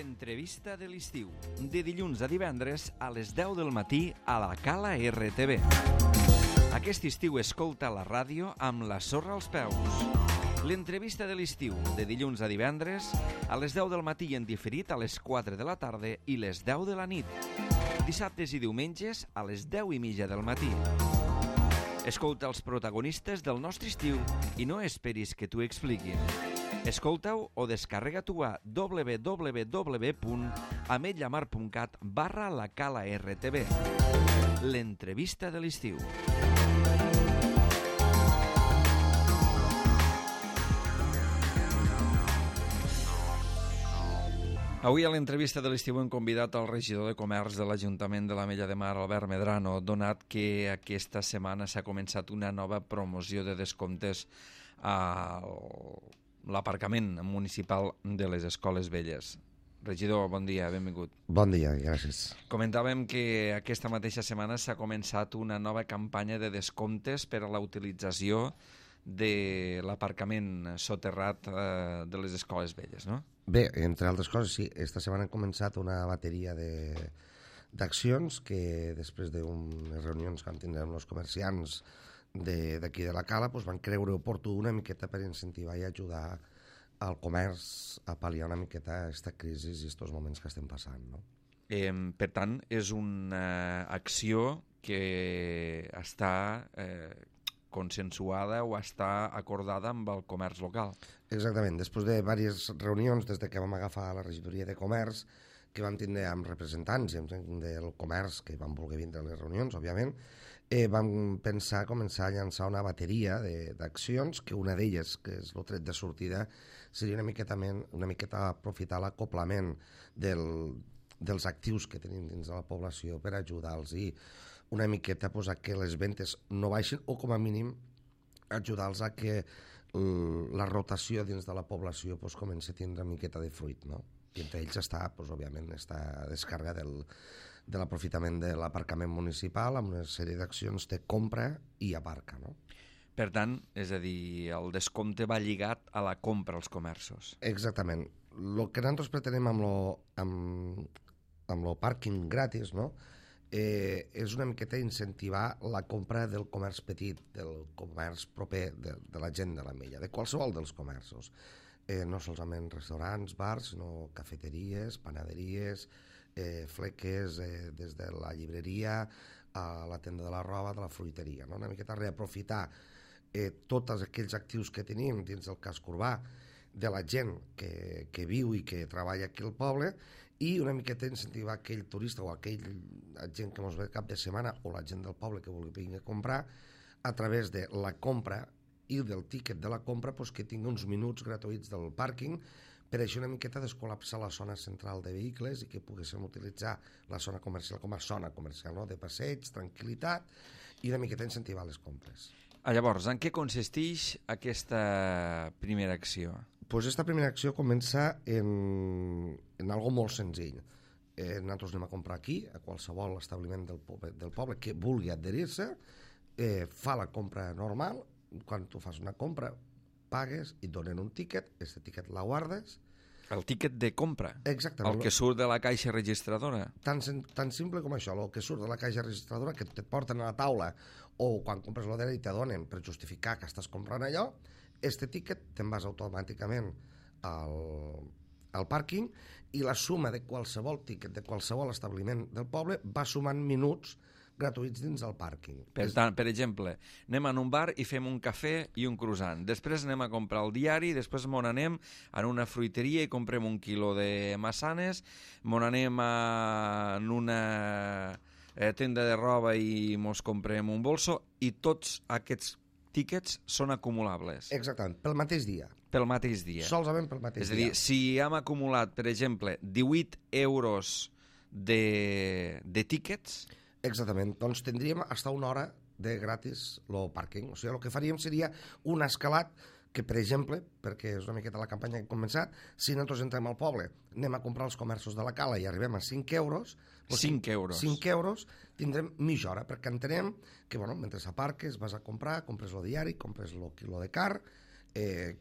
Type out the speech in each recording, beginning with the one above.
L'entrevista de l'estiu, de dilluns a divendres a les 10 del matí a la Cala RTV. Aquest estiu escolta la ràdio amb la sorra als peus. L'entrevista de l'estiu, de dilluns a divendres a les 10 del matí i en diferit a les 4 de la tarda i les 10 de la nit. Dissabtes i diumenges a les 10:30 del matí. Escolta els protagonistes del nostre estiu i no esperis que t'ho expliquin. Escolta-ho o descarrega-t'ho a www.ametlllamar.cat/la Cala RTV. L'entrevista de l'estiu. Avui a l'entrevista de l'estiu hem convidat el regidor de Comerç de l'Ajuntament de l'Ametlla de Mar, Albert Medrano, donat que aquesta setmana s'ha començat una nova promoció de descomptes a l'aparcament municipal de les Escoles Velles. Regidor, bon dia, benvingut. Bon dia, gràcies. Comentàvem que aquesta mateixa setmana s'ha començat una nova campanya de descomptes per a la utilització de l'aparcament soterrat de les Escoles Velles, no? Bé, entre altres coses, sí. Esta setmana hem començat una bateria d'accions que després d'unes reunions que vam tindre amb els comerciants d'aquí de la Cala van creure oportú una miqueta per incentivar i ajudar al comerç a pal·liar una miqueta aquesta crisi i aquests moments que estem passant, no? Per tant, és una acció que està consensuada o està acordada amb el comerç local. Exactament. Després de diverses reunions, des que vam agafar la regidoria de comerç, que vam tindre amb representants del comerç que van voler vindre a les reunions, òbviament, vam pensar començar a llançar una bateria d'accions, que una d'elles, que és el tret de sortida, seria una miqueta aprofitar l'acoplament dels actius que tenim dins de la població per ajudar-los i una miqueta a que les ventes no baixin o com a mínim ajudar-los a que la rotació dins de la població comenci a tindre una miqueta de fruit, no? I entre ells està, òbviament, aquesta descàrrega de l'aprofitament de l'aparcament municipal amb una sèrie d'accions de compra i aparca, no? Per tant, és a dir, el descompte va lligat a la compra als comerços. Exactament. El que nosaltres pretenem amb lo pàrquing gratis, no?, és una miqueta incentivar la compra del comerç petit, del comerç proper de la gent de l'Ametlla, de qualsevol dels comerços. No solament restaurants, bars, sinó cafeteries, panaderies, fleques, des de la llibreria a la tenda de la roba, de la fruiteria, no? Una miqueta reaprofitar tots aquells actius que tenim dins del casc urbà de la gent que viu i que treballa aquí al poble i una miqueta incentivar aquell turista o aquell gent que ens ve cap de setmana o la gent del poble que vulgui venir a comprar a través de la compra i del tíquet de la compra que tingui uns minuts gratuïts del pàrquing per això una miqueta descol·lapsar la zona central de vehicles i que poguéssim utilitzar la zona comercial com a zona comercial, no?, de passeig, tranquil·litat i una miqueta incentivar les compres. Llavors, en què consisteix aquesta primera acció? Aquesta primera acció comença en algo molt senzill. Nosaltres anem a comprar aquí, a qualsevol establiment del poble que vulgui adherir-se, fa la compra normal, quan tu fas una compra, pagues i et donen un tíquet, aquest tíquet la guardes. El tíquet de compra? Exactament. El que surt de la caixa registradora? Tan simple com això, el que surt de la caixa registradora, que et porten a la taula o quan compres l'odera i te donen per justificar que estàs comprant allò, este tíquet te'n vas automàticament al pàrquing i la suma de qualsevol tíquet de qualsevol establiment del poble va sumant minuts gratuïts dins del pàrquing. Per tant, per exemple, anem a un bar i fem un cafè i un croissant. Després anem a comprar el diari, després mon anem a una fruiteria i comprem 1 quilo de massanes, mon anem a una tenda de roba i mos comprem un bolso i tots aquests tíquets són acumulables. Exactament, pel mateix dia. Pel mateix dia. Solament pel mateix dia. És a dir, si hem acumulat, per exemple, 18 euros de tíquets... Exactament, doncs tindríem fins a 1 hora de gratis el pàrquing. O sigui, el que faríem seria un escalat que, per exemple, perquè és una miqueta la campanya que hem començat, si nosaltres entrem al poble, anem a comprar els comerços de la Cala i arribem a 5 euros... 5 euros. 5 euros, tindrem mitja hora, perquè entenem que, mentre aparques, vas a comprar, compres el diari, compres el quilo de carn,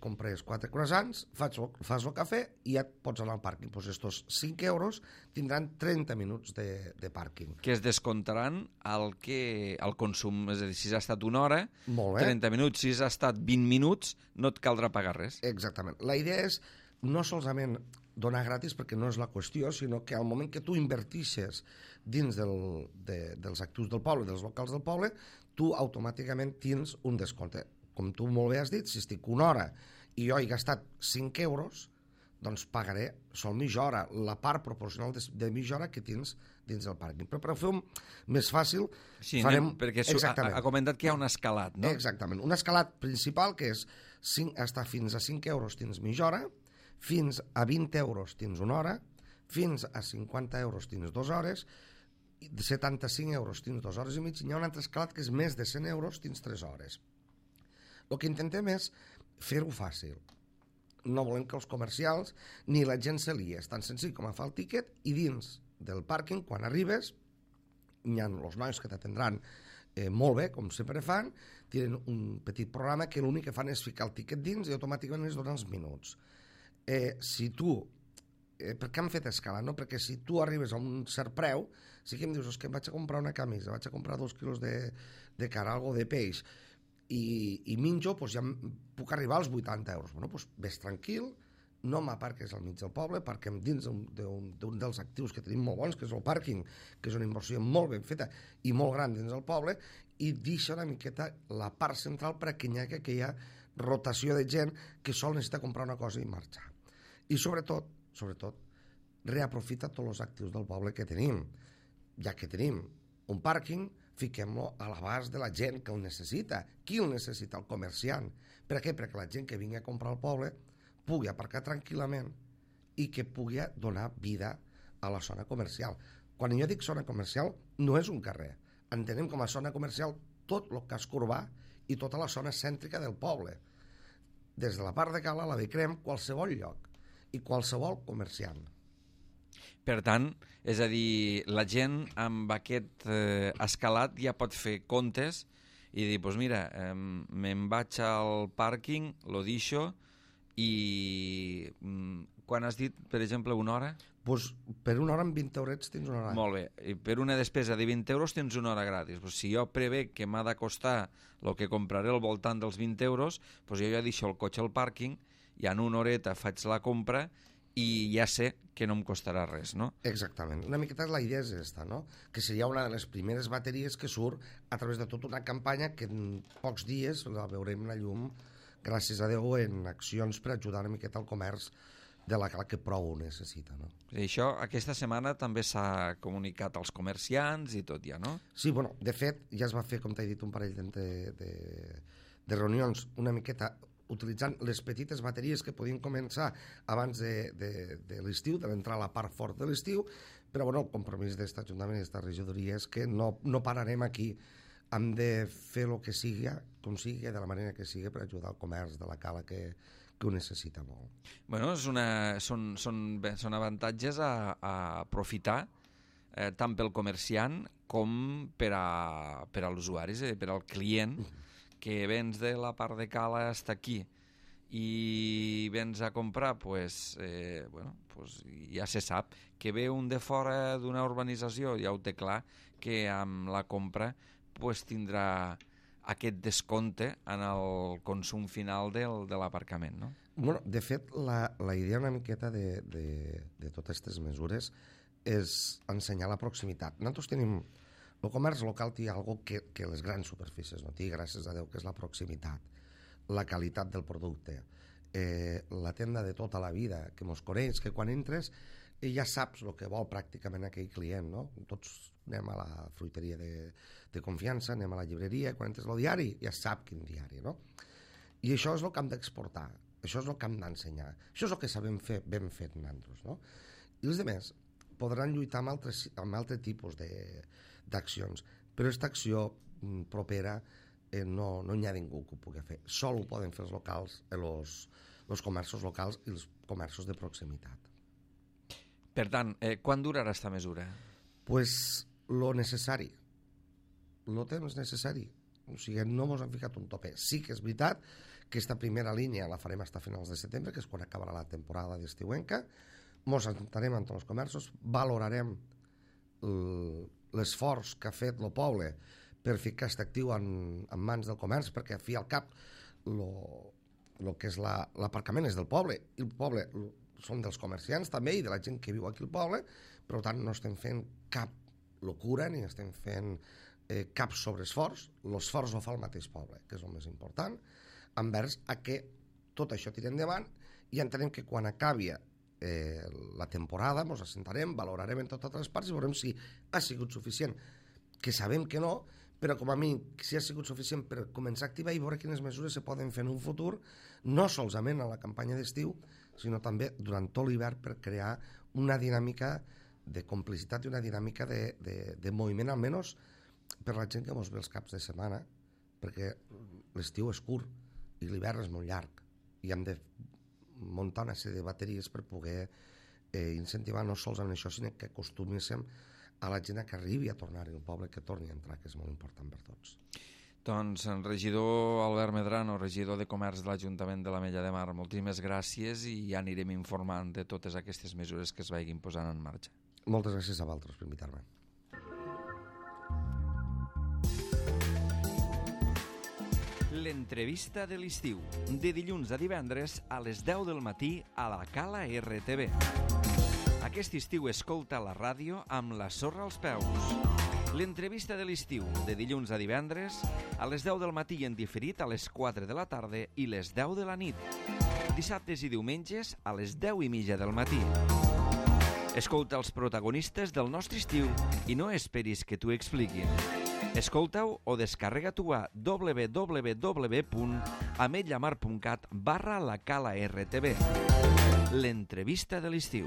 compres 4 croissants, fas el cafè i ja et pots anar al pàrquing. Doncs estos 5 euros tindran 30 minuts de pàrquing. Que es descomptaran al consum. És a dir, si has estat una hora, Molt bé. 30 minuts. Si has estat 20 minuts, no et caldrà pagar res. Exactament. La idea és no solament donar gratis, perquè no és la qüestió, sinó que al moment que tu invertixes dins dels actius del poble, dels locals del poble, tu automàticament tens un descompte. Com tu molt bé has dit, si estic una hora i jo he gastat 5 euros, doncs pagaré sol mitja hora, la part proporcional de mitja hora que tens dins del pàrquing. Però per fer-ho més fàcil, Sí, farem... perquè ha comentat que hi ha un escalat, no? Exactament. Un escalat principal que és estar fins a 5 euros tens mitja hora, fins a 20 euros tens una hora, fins a 50 euros tens 2 hores, de 75 euros tens 2 hores i mig, i hi ha un altre escalat que és més de 100 euros tens 3 hores. El que intentem és fer-ho fàcil. No volem que els comercials ni la gent se lia. És tan senzill com agafar el tiquet i dins del pàrquing, quan arribes, hi ha els nois que t'atendran molt bé, com sempre fan, tenen un petit programa que l'únic que fan és ficar el tiquet dins i automàticament es donen els minuts. Si tu... per què han fet escala? No? Perquè si tu arribes a un cert preu, sí que em dius, que em vaig a comprar una camisa, vaig a comprar 2 quilos de carn, algo de peix, i minjo, doncs ja puc arribar als 80 euros. Bueno, doncs ves tranquil, no m'aparques al mig del poble, perquè dins d'un dels actius que tenim molt bons, que és el pàrquing, que és una inversió molt ben feta i molt gran dins del poble, i deixa una miqueta la part central perquè hi ha aquella rotació de gent que sol necessita comprar una cosa i marxar. I sobretot, reaprofita tots els actius del poble que tenim. Ja que tenim un pàrquing, fiquem-lo a l'abast de la gent que el necessita. Qui el necessita? El comerciant. Per què? Perquè la gent que vingui a comprar al poble pugui aparcar tranquil·lament i que pugui donar vida a la zona comercial. Quan jo dic zona comercial, no és un carrer. Entenem com a zona comercial tot el casc urbà i tota la zona cèntrica del poble. Des de la part de Cala, la de Crem, qualsevol lloc i qualsevol comerciant. Per tant, és a dir, la gent amb aquest escalat ja pot fer comptes i dir, doncs mira, me'n vaig al pàrquing, lo deixo, i quan has dit, per exemple, una hora? Doncs per una hora amb 20 eurets tens una hora. Molt bé, i per una despesa de 20 euros tens una hora gratis. Pues si jo prevé que m'ha de costar el que compraré al voltant dels 20 euros, doncs jo ja deixo el cotxe al pàrquing i en una horeta faig la compra i ja sé que no em costarà res, no? Exactament. Una miqueta la idea és aquesta, no? Que seria una de les primeres bateries que surt a través de tota una campanya que en pocs dies la veurem la llum, gràcies a Déu, en accions per ajudar una miqueta al comerç de la Cala que prou ho necessita, no? I això aquesta setmana també s'ha comunicat als comerciants i tot ja, no? Sí, bueno, de fet, ja es va fer, com t'he dit, un parell de reunions una miqueta utilitzant les petites bateries que podien començar abans de l'estiu, de l'entrar a la part fort de l'estiu, però bueno, el compromís d'aquest Ajuntament i d'aquesta regidoria és que no pararem aquí. Hem de fer el que sigui, com sigui, de la manera que sigui, per ajudar el comerç de la Cala que ho necessita molt. Bueno, són avantatges a aprofitar tant pel comerciant com per a l'usuari, per al client, que vens de la part de Cala hasta aquí i vens a comprar, pues ja se sap que ve un de fora d'una urbanització, ja ho té clar, que amb la compra pues tindrà aquest descompte en el consum final de l'aparcament, no? Bueno, de fet, la idea una miqueta de totes aquestes mesures és ensenyar la proximitat. Nosaltres tenim... El comerç local té algo que les grans superfícies no té, gràcies a Déu, que és la proximitat, la qualitat del producte, la tenda de tota la vida, que mos coneix, que quan entres ja saps el que vol pràcticament aquell client, no? Tots anem a la fruiteria de confiança, anem a la llibreria, quan entres al diari ja sap quin diari, no? I això és el que hem d'exportar, això és el que hem d'ensenyar, això és el que sabem fer ben fet nosaltres, no? I els altres podran lluitar amb altre tipus d'accions, però aquesta acció propera no hi ha ningú que ho pugui fer, sol ho poden fer els locals, els comerços locals i els comerços de proximitat. Per tant, quan durarà aquesta mesura? Pues lo necessari, lo temps necessari, o sigui, no mos han ficat un tope. Sí que és veritat Aquesta primera línia la farem fins a finals de setembre, que és quan acabarà la temporada d'estiuenca. Ens sentarem amb tots els comerços, valorarem l'esforç que ha fet el poble per ficar aquest actiu en mans del comerç, perquè al fi al cap el que és l'aparcament és del poble, i el poble són dels comerciants també i de la gent que viu aquí al poble, per tant no estem fent cap locura ni estem fent cap sobreesforç. L'esforç ho fa el mateix poble, que és el més important, envers a que tot això tiri endavant, i entenem que quan acabi la temporada ens assentarem, valorarem en totes les parts i veurem si ha sigut suficient, que sabem que no, però com a mi si ha sigut suficient per començar a activar i veure quines mesures se poden fer en un futur, no solament a la campanya d'estiu, sinó també durant tot l'hivern, per crear una dinàmica de complicitat i una dinàmica de moviment, almenys per la gent que ens ve els caps de setmana, perquè l'estiu és curt i l'hivern és molt llarg i hem de muntar una sèrie de bateries per poder incentivar no sols amb això, sinó que acostuméssim a la gent que arribi a tornar al poble, que torni a entrar, que és molt important per tots. Doncs el regidor Albert Medrano, regidor de Comerç de l'Ajuntament de l'Ametlla de Mar, moltíssimes gràcies i ja anirem informant de totes aquestes mesures que es vagin posant en marxa. Moltes gràcies a vosaltres per invitar-me. L'entrevista de l'estiu, de dilluns a divendres a les 10 del matí a la Cala RTV. Aquest estiu escolta la ràdio amb la sorra als peus. L'entrevista de l'estiu, de dilluns a divendres a les 10 del matí i en diferit a les 4 de la tarda i les 10 de la nit. Dissabtes i diumenges a les 10:30 del matí. Escolta els protagonistes del nostre estiu i no esperis que t'ho expliquin. Escolta-ho o descarrega-t'ho a www.ametllamar.cat/la Cala RTV. L'entrevista de l'estiu.